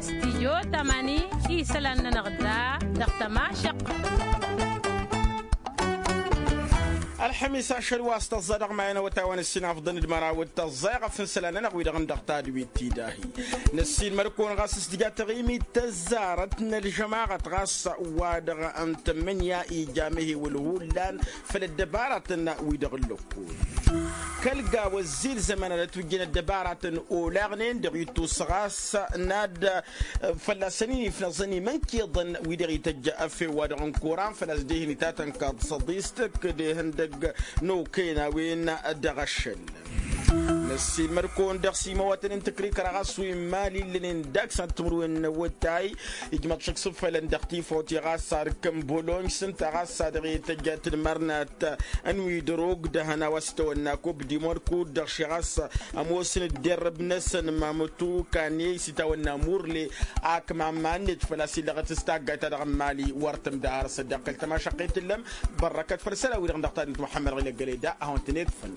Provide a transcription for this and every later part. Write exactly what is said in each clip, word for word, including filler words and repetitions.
Stijyo tamani isălan-nănăɣ da dăɣ-tămašăq. Ălxămis ašăl wa s-tăẓẓa dăɣ-mayăn awătay wa n-ǝssin afḍăn d-măraw d-tăẓẓa iɣăf n-isălan-nănăɣ wi-dăɣ n-dăɣ tadwit ti dahi. Năssiilmăr-kăwăn ɣas s-tǝja taɣimit tăzzarăt n-ălžămaɣăt ɣas wa-dăɣ n-tămmǝnǝya ija mehewǝl hullan făll-ăddăbaratăn-wi-dăɣ n-lăkko. Kăl-gaw ăzzilzămăn ad-ătwǝjjăn ăddăbaratăn olaɣnen dăɣ-ittus ɣas n-ad-fălla-săn-in ifnăẓăn imǝnkiḍăn wi-dăɣ ităjj afew-wa-dăɣ n-kuran făl-a-s dehăn itatăn kaḍ săḍist kădehăn dăgg-nokăyăn a-wen dăɣ-ašăl. Năssiilmăd-kăwăn dăɣ-simawatăn n-tǝkrikăra ɣas wi n-mali illănen dăɣ-săn timǝrwen n-awătay ijmăḍ šăkk s-ǝffălăn dăɣ-tifawt i-ɣas sarǝk n-bolonj s-ǝnta ɣas a dăɣ-e tăjja tǝdmărnat n-wi dăr-ogdăhăn a-wa s-tawănna kub dimon kud-dăɣ ši ɣas ămoosăn dd-irrǝb-năsăn mamătu kaney s-itawănna murle. Ak mamma-net făl-a-s illăɣăt s-taggayt-ta-dăɣ n-mali wăr tǝmdăr săddeɣ kăl-tămašăqqet tǝllăm. Bărrăkăt făll-isălan-wi-dăɣ n-dăɣ-tadǝnt muḥămmăd ɣilăggălăy da a hawăn-tăn-e-ǝḍfăn.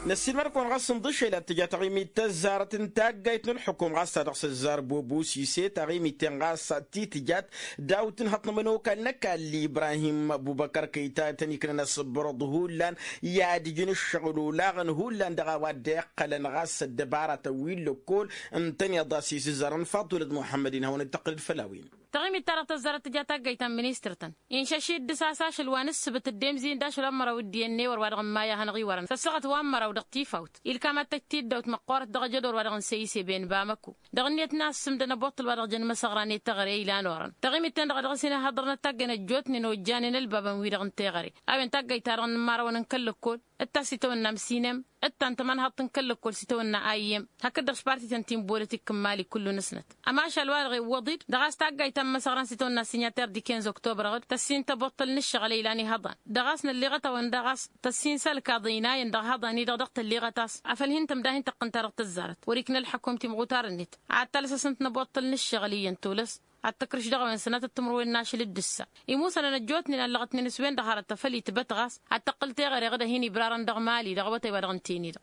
Năssiilmăd-kăwăn ɣas n-iḍǝššel ad-tǝja taɣimit tăzzarăt n-taggayt n-ǝlxǝkum ɣas ta dăɣ-s ăzzar bobo sise taɣimit-ten ɣas ti tǝjat daw-tǝnhăḍ n-ămănokal n-ăkall ibrahim ăbubăkăr kăy-ta tăn-iknăn asǝbrăḍ hullan i-ad-ǝjǝn ǝššăɣǝl olaɣăn hullan dăɣ-a-wa dd-iqqălăn ɣas ăddăbaratăn wi n-lăkkol ǝntăneḍ a-s isǝzzarăn faḍulăt muḥămmăd-in hawăn-dd-tăqqǝlăd făll-a-wen. Taɣimit-ta-dăɣ tăzzarăt tǝja taggayt ta n-ministăr-tăn inšăš-dd s-asašăl wa n-ǝssǝbǝt dd-emzin d-ašăl wa n-măraw d-iyyăn n-ewăr wa dăɣ-n maya hanăɣ-iwărăn s-ăssaɣăt wa n-măraw dăɣ-tifawt ilkam ad-tăj-t-dd-awt măqqoorăt dăɣ-ajădor wa dăɣ-n seyise ben bamăko. Dăɣ-net n-a ăssǝmdăn ăboṭṭăl wa dăɣ-jăn imăsăɣran i-teɣăre ilan orăn taɣimit-ten-dăɣ a dăɣ-s hin-ăhhăḍrănăt taggăyăn ăjjootnen ojjanen ălbabăn-wi-dăɣ n-teɣăre a-wen taggayt-ta-dăɣ n-imărawăn n-kăl-lăkkol d-tass itawănna amsinem d-ta n-tămănhaḍt n-kăl-lăkkol s-itawănna ayyem hakd-dăɣ s-parti-tăn ti n-bolătik n-mali kullu-năsnăt. Ămašal-wa-dăɣ iwwăḍ-dd dăɣ-a-s taggayt ta n-imăsăɣran s-itawănna sinyater d-ikenz oktobrăɣ-dd tăssin tăboṭṭăl n-ǝššăɣǝl ilan ihăḍan dăɣ-a-s nălleɣăt-awăn daɣ a-s tăssin s-ălkaḍ ăynayăn dăɣ-ihăḍan-i-dăɣ dăɣ-tălleɣăt a-s afăl hin-tămda hin-tăqqǝn-ta-dăɣ tăzzarăt wăr-ikna ălxăkum timɣutar-net ad-talăsăsnăt năboṭṭăl n-ǝššăɣǝl iyyăn tolăs ad-tăkrǝš dăɣ-a-wen sănatăt timǝrwen n-ašăl d-ǝssa. Imusănăn ăjjootnen allăɣătnen s-wen-dăɣ hărăt afăl itbăt ɣas ad-tăqqǝl teɣăre ɣǝd-ăhin ibrarăn dăɣ-mali dăɣ-awătay wa dăɣ-n teni-dăɣ.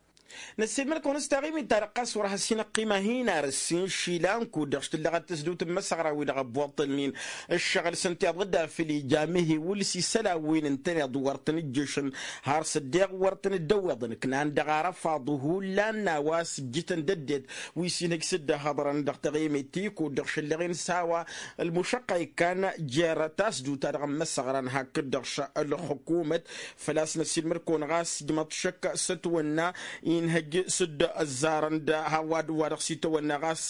Năssiilmăd-kăwăn s-taɣimit-ta-dăɣ ɣas wăr has-hin-ăqqima hin-ar ǝssin išilan kud-dăɣ s-tǝllăɣăt tăsdut n-imăsăɣra-wi-dăɣ ăbbuṭṭălnen ǝššăɣǝl s-ǝnta iḍǝdda făll-ija mehewǝl s-isălan wi n-ǝntăneḍ wăr tăn-ǝjjǝšăn har s-ăddeɣ wăr tăn-dd-ăwweḍăn ǝknan dăɣ-arăfaḍ hullan n-a-wa s-ǝjjǝtăn d-ăddinăt wi s-inhăj s-dd-ăhhăḍrăn dăɣ-taɣimit ti kud-dăɣ šăllăɣen s-a-wa ălmušăqqa ikkan jer-tasdut-ta-dăɣ n-imăsăɣran hakd-dăɣ š-ălxukumăt. Făl-a-s năssiilmăd-kăwăn ɣas ijmăḍ šăkk s-ătwănna inhăj s-dd-ăzzarăn d-hawad-wa-dăɣ s-itwănna ɣas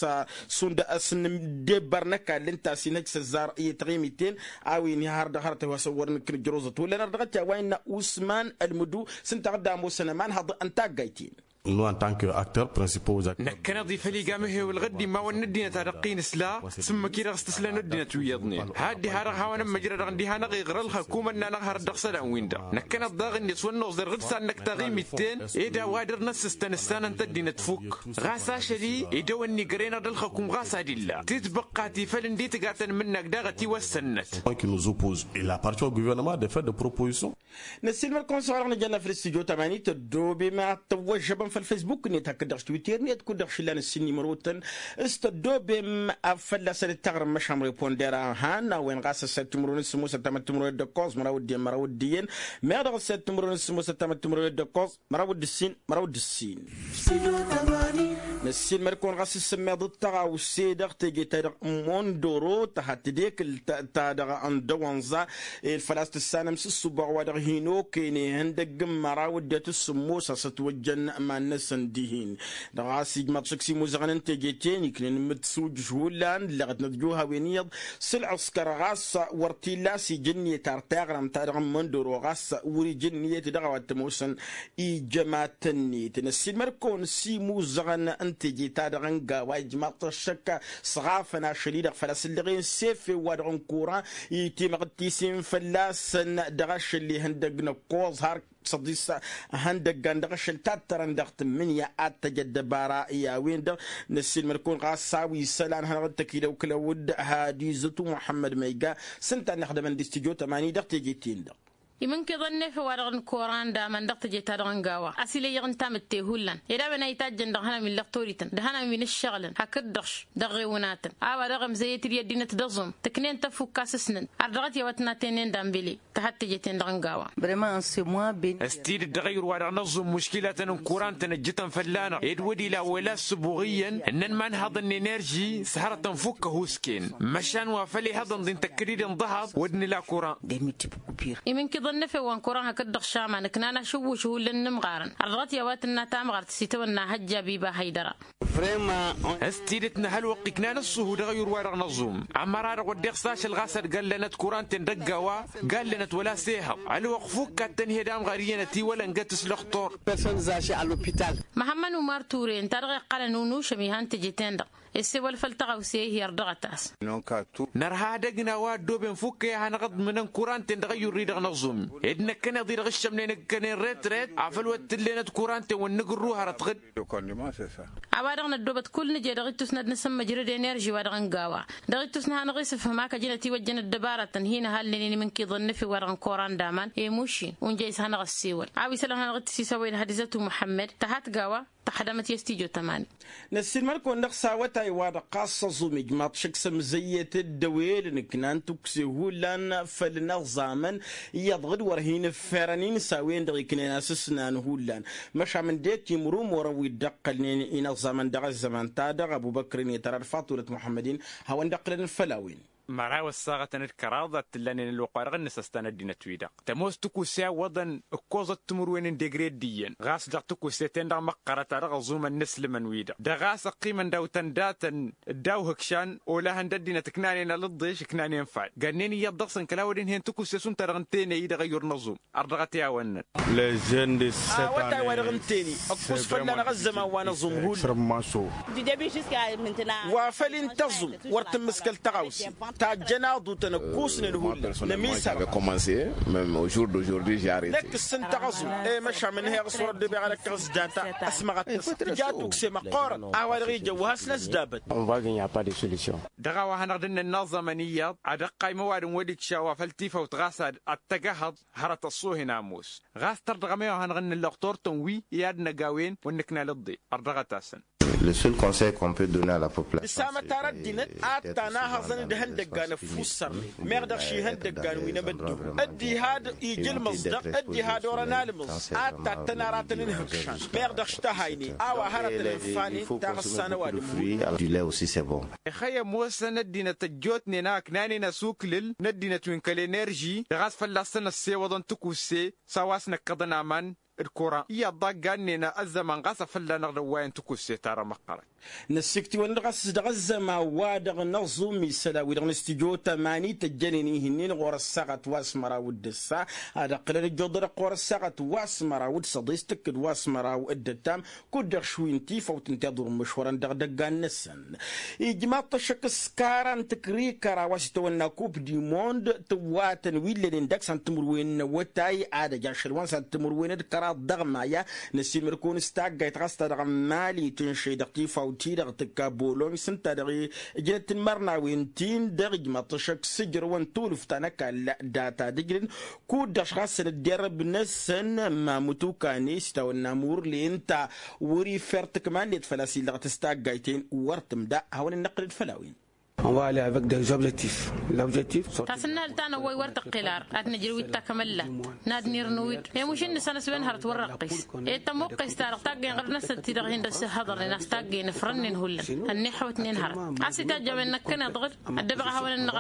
šund ăsnǝmdebăr n-ăkall ǝnta a-s inhăj s-ăzzar i-taɣimit-ten a-wen ihar dăɣ-hărăt a-wa s-ăwwărăn kǝnǝjrăwzăt wăla n-ardăɣăt i-a-wa innă usman ălmǝdu s-ǝnta a dd-ămoosăn ămanhăḍ n-taggayt-in. Năkkăneḍ-i făll-iga mehewăl ɣǝddim ma wăr n-ăddinăt a dăɣ-t-in-ǝsla s-ǝmmǝk-i-dăɣ s-tǝslăn ăddinăt wi iyyăḍnen had-diha-dăɣ hawăn-ămmăjrădăɣ ǝndiha-năɣ iɣră ălxăkumăn-nănăɣ hărăt dăɣ-isălan-win-dăɣ. Năkkăneḍ daɣ ǝnni s-wăr noẓer ɣǝd s-ad-năkk taɣimit-ten ed a-wa dăr-năssǝstăn ǝssanăn-t ăddinăt fukk. Ɣas ašăl-i idăwănni găr-enăɣ d-ălxăkum ɣas ad-illa titbăqqa ti făll-ǝndi tǝgatăn mǝnnag daɣ ătiwăssănnăt. Năssiilmăd-kăwăn s-a-wa-dăɣ nǝjănna făll-studyo tamani tăddobem ad-tăwwăžžăbăm făll-fesbuk-net hakd-dăɣ s-twitter-net kud-dăɣ šillan ǝssin n-imrotăn s-tăddobem. Fălla-săn d-taɣrǝm măšan reponder a han a-wen ɣas ăssed timǝrwen s-sǝmmos ăttamăt timǝrwen d-ǝkkoẓ măraw d-iyyăn măraw d-iyyăn meɣ dăɣ-ăssed timǝrwen s-sǝmmos ăttamăt timǝrwen d-ǝkkoẓ măraw d-ǝssin măraw d-ǝssin. Năssiilmăd-kăwăn ɣas s-sǝmmeḍ d-tăɣawse dăɣ-teje-ta-dăɣ n-mondoro tăha tedekǝlt-ta-dăɣ n-dăwănẓa ed făl-a-s tǝssanăm s-ǝssubăɣ wa dăɣ-hin-okăyăn ihăndăgg n-măraw dd-e-t ǝssǝmmos a-s ătwăjjăn iman-năsăn dihin-dăɣ a-s ijmăḍ šăkk s-imuzăɣăn n-teje-ten iknǝnmǝt s-ujǝš hullan ǝlleɣăt n-ătjuh a-wen iyyăḍ s-ǝlɣǝskăr ɣas wăr t-illa a-s ija ǝnniyăt ar taɣrămt-ta-dăɣ n-măndoro ɣas wăr-ija ǝnniyăt dăɣ-a-wa t-ămoosăn ijămat-net. Năssiilmăd-kăwăn s-imuzăɣăn n-teje-ta-dăɣ n-gawa ijmaḍ-t ăššăk s-ɣafăn ašăl-i-dăɣ făl-a-s ǝllăɣen s-efew-wa-dăɣ n-kuran itimɣǝttisin fălla-săn dăɣ-ašăl ihăndăg n-ăkkoẓ har săḍis ihăndăggan dăɣ-ašăl tattărăn dăɣ-tǝmmǝnǝya ad-tăj ăddăbara i-a-wen-dăɣ. Năssiilmăd-kăwăn ɣas a-wa isălan hanăɣ-dd-tăkilăw kălăwăd hadizăt u-muḥămmăd ma iga s-ǝnta a ănnăxdămăn d-studyo tămani dăɣ-teje-ten-dăɣ. Imǝnkiḍăn n-efew-wa-dăɣ n-koran d-aman dăɣ-teje-ta-dăɣ n-gawa a-s ilăyyăɣ n-tamǝtte hullan ed a-wen a itajjăn dăɣ-ihănan wi n-lăqtorităn d-ihănan wi n-ǝššăɣǝlăn hakd-dăɣ-š dăɣ-ɣewǝnatăn. A-wa dăɣ-emzăyyăt-dd i-ăddinăt d-aẓum tǝknen tăfukka s-ǝsnǝn ar dăɣ-t i-a-wa tǝnnaten-en d-anbele. Tăhăt teje-ten-dăɣ n-gawa. S-tidǝt dăɣ-ayǝr-wa-dăɣ n-aẓum muškilatăn n-kuran-tăn ǝjjǝtăn fălla-năɣ ed wăr ila wăla ăssǝbuɣ iyyăn ǝnnăn ma n-ihăḍăn n-enerži s-hărătăn fukk ăhuusken. Măšan wa făl ihăḍăn-dd intăkkăd-dd inḍăhăḍ wăr nǝla kuran. Imǝnkiḍăn n-efew wa n-kuran hakd-dăɣ šaman ǝknan ašǝwwǝš hullan n-imɣarăn ar dăɣ-t i-a-wa tǝnna tamɣart s-itawănna hăjja biba hăydăra. S-tidǝt n-ehălwăqq iknan ǝṣṣuhu dăɣ-ayǝr-wa-dăɣ n-aẓum. Ămăra-dăɣ wădden s-ašăl ɣas ad-gallănăt kuran-ten dăgg-a-wa gallănăt wăla s-ehăḍ ălwăqq fukk ad-tăn-hi-ed amɣar iyyăn ătiwălăngăt s-lăxtur. Măhămmăn umar ture ǝnta-dăɣ iqqălăn unušăm ihan teje-ten-dăɣ issewăl făll-tăɣawse ihi ărdăɣăt-as. Nărha ad-ăgna wa ăddooben fukk i-ad-hanăɣ-ǝḍmǝnăn kuran-ten dăɣ-ayyurri-dăɣ n-aẓum ed năkkăneḍ-i-dăɣ ǝššămnen ǝkkănen ret-ret afăl wăr t-ǝllenăt kuran-ten wăr nǝgǝrru hărăt ɣǝd. A-wa-dăɣ năddoobăt kull nǝje dăɣ-ittus n-ad-nǝsǝmmăjrăd enerži-wa-dăɣ n-gawa dăɣ-ittus n-ad-hanăɣ-isǝfhǝm ak ăjǝnăt iwăjjăn ăddăbarătăn hin-ăhallănen imǝnkǝḍăn n-efew-wa-dăɣ n-koran d-aman i-mušin unjăy s-ad-hanăɣ-ăssewăl a-wa isălan ad-hanăɣ-dd-tǝsisăwăyăn hădizăt u-muḥămmăd. Tăhat gawa tăxdămăt i-s tijo tămani. Năssiilmăd-kăwăn-dăɣ s-awătay-wa-dăɣ ɣas aẓum ijmaḍ šăkk s-ămzăyyăt dd-ăwel ǝnǝknan tukse hullan făll-inăẓẓamăn iyyăḍ ɣǝd wăr hin-ǝfferăn-in s-a-wen-dăɣ iknen asǝsnan hullan. Măšan ǝndek imrumurăn wi dd-ăqqălnen inăẓẓamăn dăɣ-ăzzăman-ta-dăɣ ăbubăkr-in i-tăra d-faṭulăt muḥămmăd-in hawăn-dd-ăqqǝlăn făll-a-wen. Măraw ăssaɣătăn d-kăraḍ ad-t-ǝllanen ălwăqq-wa-dăɣ ǝnnǝsăs ta n-ăddinăt-wi-dăɣ tămoos tikusse a ǝwwăḍăn ǝkkoẓăt timǝrwen n-degre d-iyyăn ɣas dăɣ-tikusse-ten-dăɣ măqqărăt a dăɣ-ăẓumăn inǝslǝmăn-wi-dăɣ dăɣ-a-s ăqqimăn daw-tăn datăn. Dd-awhǝkšan olahăn d-ăddinăt ǝknanen alǝḍḍeš ǝknanen fad gănnen iyyăḍ dăɣ-săn kăla wăr-ǝnhǝyăn tikusse šund ta dăɣ-n tenăy dăɣ-ayyur n-aẓum. Ărdăɣăt i-a-wănnăn. Awătay-wa-dăɣ n-teni ăkkus fălla-năɣ ăzzăman wa n-aẓum hullan. Wa făl ǝnta aẓum wăr tǝmmǝskăl tăɣawse tajjăn aḍutăn ăkkusnen hullan. Nămisăr. Năkk ǝssǝntaɣ aẓum i-măšan mǝnhăyăɣ s-wăr ăddăbeɣ ad-ăkkăɣ s-data ăsmăɣăt-tăsăt tǝja tukse măqqoorăn. A-wa-dăɣ ija ăwwăh-asnăs d-abăd. Dăɣ-a-wa hanăɣ-dd-nǝnna aẓămăn iyyăḍ ad-ăqqay măwadǝm wăr-ikša wa făl tifawt ɣas ad-tăgg-ehăḍ hărăt ăṣṣoohen ămoos. Ɣas tărdăɣăm i-wa hanăɣ-dd-nǝllăɣ turtăn wi i-ad-năgawen wăr nǝkna alǝḍḍe. Ărdăɣăt-asăn. Le seul conseil qu'on peut donner à la population. Dăsamăt ar ăddinăt ad-tanahăẓăn d-ihăndăggan ăffussărnen meɣ dăɣ-ši ihăndăggan wi n-amăddu. Dd-iha-dd ija ǝlmǝẓ-dăɣ dd-iha-dd orăn almǝẓ ad-tattăn aratăn n-ihǝkšan. Meɣ dăɣ-š tăhaynen a-wa hărătăn ǝnfanen taɣǝssa n-ăwadǝm. Ixăyy ămoosăn ăddinăt ăjjootnen a ǝknanen asuklǝl n-ăddinăt wi n-kăl-enerži dăɣ-a-s fălla-săn ăssewăḍăn tikusse s-a-wa s-năkkăḍăn aman d-kuran iyyăḍ ḍaggannen ăzzăman ɣas afălla-năɣ d-ăwwayăn tikusse-ta-dăɣ măqqărăn. Năssiktǝwăn-dd ɣas dăɣ-ăzzăman-wa-dăɣ n-aẓum isălan-wi-dăɣ n-stijo tămani tăjjănen ihǝnnin ɣur-ăssaɣăt wa s-măraw d-ǝssa ad-ăqqǝlăn ǝjjuḍăd ɣur-ăssaɣăt wa s-măraw d-săḍis tǝkkǝd wa s-măraw d-ǝttam. Kud-dăɣ šwi n-tifawt ǝnta iḍur imǝšwărăn dăɣ-idăggan-năsăn. Ijmaḍ-t ăššăk s-kara n-tǝkrikăra wa s-itawănna kup di mond tǝwwatăn wi ǝllănen dăɣ-san timǝrwen n-awătay ad-ăj ašăl wa n-san timǝrwen d-kăraḍ dăɣ-maya. Năssiilmăd-kăwăn s-taggayt ɣas ta dăɣ-mali tǝnšăy dăɣ-tifawt-i-dăɣ tǝkka bolony s-ǝnta dăɣ-ijnăt n-imărnawen-tin-dăɣ ijmaḍ-t ăššăk s-ǝjrăwăn tulǝft ta n-ăkall data d-ǝjrǝn. Kud-dăɣ š-ɣas săn ăddinăt ărbnăsăn mamut ukane s-itawănna murle ǝnta wăr-ifer tǝkma-net făl-a-s illăɣăt s-taggayt-en wăr tǝmda. Hawăn-in-năqqǝlăd făll-a-wen. Tasǝnnahăl ta n-ăwwăy wăr tăqqel ar ad-nǝjrǝw d-takămăllat n-ad-nirnǝw-dd i-mušǝnnǝsăn s-wen hărăt wăr-răqqis. Ed tămuqqes-ta-dăɣ taggăyăn ɣǝrnăsăt-ti-dăɣ hin-dăɣ-s ihăḍărnen a-s taggăyăn ǝfrănnen hullan. Ănnihăwătnen hărăt a-s itajj a-wen năkkăneḍ-dăɣ-dd ăddăbăɣ ihawăn-nănăɣ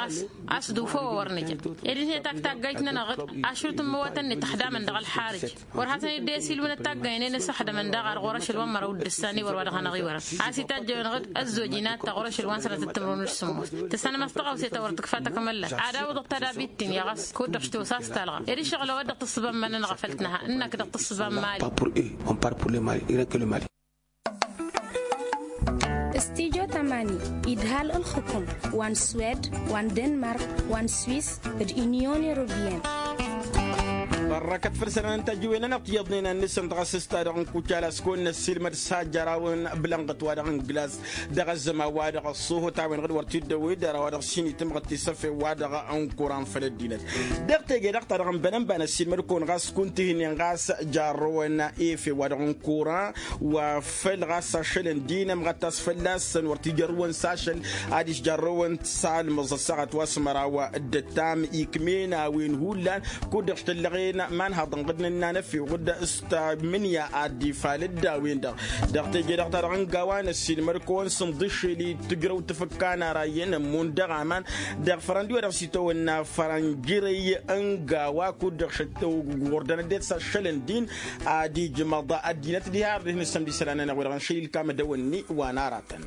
a-s d-ufa wa wăr nǝja. Ed ǝnhǝyăt ak taggayt-nănăɣ-dd ašrǝw tǝmmǝwătăn-net ăxdamăn dăɣ-ălxarǝj. Wăr hasăn-dd-e-silwǝnăt taggaynen s-ăxdămăn daɣ ar ɣur-ašăl wa n-măraw d-ǝssan i-wăr wa dăɣ-hanăɣ-iwărăn a-s itajj a-wen-dăɣ d-ăzzoj inat ta ɣur-ašăl wa n-sănatăt timǝrwen d-sǝmmos. Tǝssanăm a-s tăɣawse ta wăr tǝkfa takămăllat ad-awǝḍăɣ tadabit-tin i-ɣas kud-dăɣ š-tosa a-s talɣa. Ed išăɣǝl a-wa dd-tǝssǝba n-iman-nănăɣ a făl t-nǝha ǝnnak dăɣ-tǝssǝba n-mali. Pas pour eux, on part pour le mali. Stijo tămani idhal ǝlxǝkum wa n-swed wa n-denmark wa n-swis d-inyon europeyăn. Ărrakăt făll-sănăn n-tajǝwen-anăɣ tiyyăḍnen a n-nǝsǝnt ɣas s-ta-dăɣ n-kucala s-kăwăn-năssiilmăd s-hajjărawăn bǝlănɣăt-wa-dăɣ n-glass dăɣ-ăzzăman-wa-dăɣ ăṣṣuhut a-wen-dăɣ d-wăr t-dd-ăwwed dăr-a-wa-dăɣ s-hin-itǝmɣăt tisăfe-wa-dăɣ n-kuran făll-ăddinăt. Dăɣ-teje-dăɣ-ta-dăɣ n-bănănba n-ăssiilmăd-kăwăn ɣas kunta ihnen ɣas jarrăwăn efe-wa-dăɣ n-kuran wa făl ɣas ašăl n-din ămɣăt a-s fălla-săn wăr t-ijărrǝwăn s-ašăl adiš jarrăwăn s-almǝẓ ăssaɣăt wa s-măraw d-ăttam ikm'-en a-wen hullan kud-dăɣ štăllăɣen ma n-haḍănɣăd n-ănnanăfew ɣǝd s-tamǝnǝya ad-dd-ifalăd d-a-wen-dăɣ. Dăɣ-teje-dăɣ ta-dăɣ n-gawa n-ăssiilmăd-kăwăn s-ǝnḍǝššel i-tǝjrăw tǝfǝkka n-ara iyyăn ămmun dăɣ-aman dăɣ-fărăndi wa dăɣ-s itawănna fărănjărăy n-gawa kud-dăɣ šăttăw ɣur-dăn ăddinăt s-aššăl n-din ad-ijmăḍ ăddinăt diha ardihăn ǝssămd isălan-nănăɣ wi-dăɣ n-šăy ilkam d-awănni wa n-aratăn.